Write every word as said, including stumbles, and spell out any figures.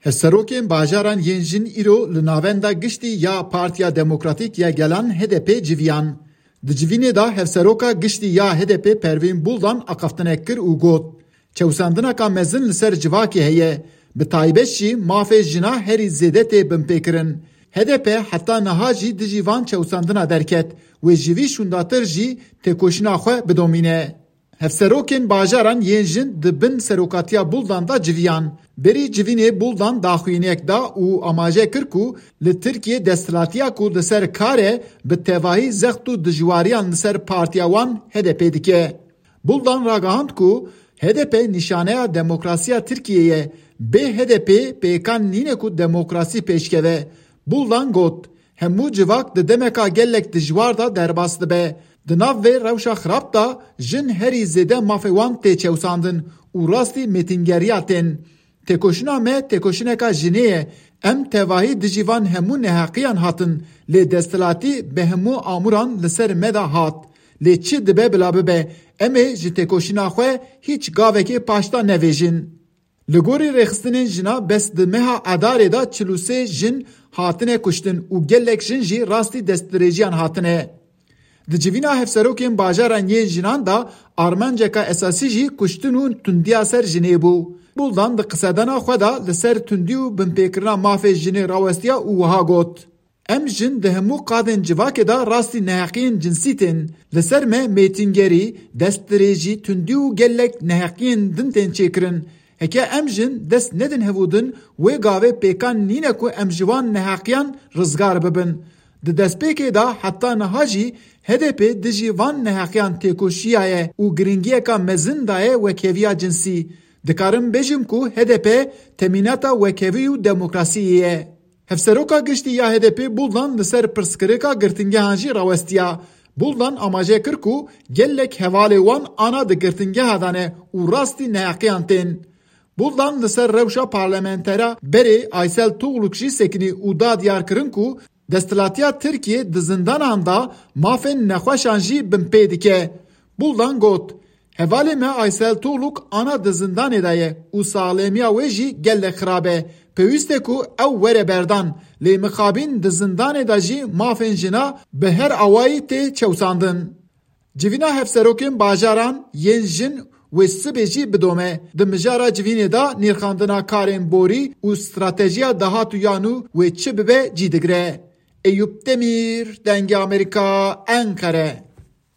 Hevserokên bajaran yên jin îro li Navenda Giştî ya Partiya Demokratîk ya Gelan H D P civiyan. Di civînê de Hevseroka Giştî ya H D P Pervîn Buldan axaftinek kir û got, çewsandineka mezin li ser civakê heye, bi taybet jî mafê jina herî zêde tê binpêkirin. H D P heta niha jî dijî van çewsandina derket, wê ji vî şûndatir jî têkoşîna xwe bidomîne. Hevserokên bajaran yên jin di bin serokatiya Buldan de civiyan. Berî civînê Buldan daxuyaniyek da û amaje kir ku li Tirkiyê desthilatiya ku li ser kar e, bi tevahî zext û dijwariyan li ser partiya wan H D P dike. Buldan ragihand ku H D P nîşaneya demokrasiya Tirkiyê ye. Bê H D P pêkan nîne ku demokrasî pêşkeve. Buldan got, hemû civak di demeka gelek dijwar de derbas dibe. Di nav vê rewşa xirab de jin herî zêde mafê wan tê çewsandin û rastî mêtingeriya tên. Têkoşîna me têkoşîneka jinê ye. Em tevahî dijî van hemû neheqiyan hatin, lê desthilatî bi hemû amûran li ser me de hat. Lê çi dibe bila bibe, em ê ji têkoşîna xwe hîç gavekê paş de nevêjin. Li gorî rêxistinên jina bes di meha Edarê de çil û sê jin hatine kuştin û gelek jin jî rastî destdirêjiyan hatine. Di civîna hevserokên bajaran yên jinan de armanceka esasî jî kuştin û tundiya ser jinê bû. Buldan di qisedana xwe de li ser tundî û binpêkirina mafê jinê rawestiya û wiha got, em jin di hemû qadên civakê de rastî neheqiyên cinsî tên. Li ser me mêtingerî, destdirêjî, tundî û gelek neheqiyên din tên çêkirin. Heke em jin dest nedin hevûdin, wê gavê pêkan nîne ku em ji wan neheqiyan rizgar bibin. Di destpêkê de heta niha jî H D P dijî van neheqiyan têkoşiyaye û giringiyeka mezin daye wekheviya cinsî. Dikarim bêjim ku H D P temînata wekhevî û demokrasiyê ye. Hevseroka Giştî ya H D P Buldan li ser pirsgirêka girtingehan jî rawestiya. Buldan amaje kir ku gelek hevalê wan ana di girtingeha de ne û rastî neheqiyan tên. Buldan li ser rewşa parlamentera berê Aysel Tugluk jî sekinî û da diyar kirin ku desthilatiya Tirkiyê di zindanan de mafên nexweşan jî binpê dike. Buldan got, hevalê me Aysel Tugluk ana di zindanê de ye û saxlemiya wê jî gelek xirab e. Pêwîst e ku ew were berdan, lê mixabîn di zindanê de jî mafên jina bi her awayî tê çewsandin. Civîna hevserokên bajaran yên jin wê sibê jî bidome. Di mijara civînê de nirxandina karên borî û stratejiya dahatûyan û wê çi bibe cî digire. Eyûp Demîr, Dengê Amerîka, Enqere.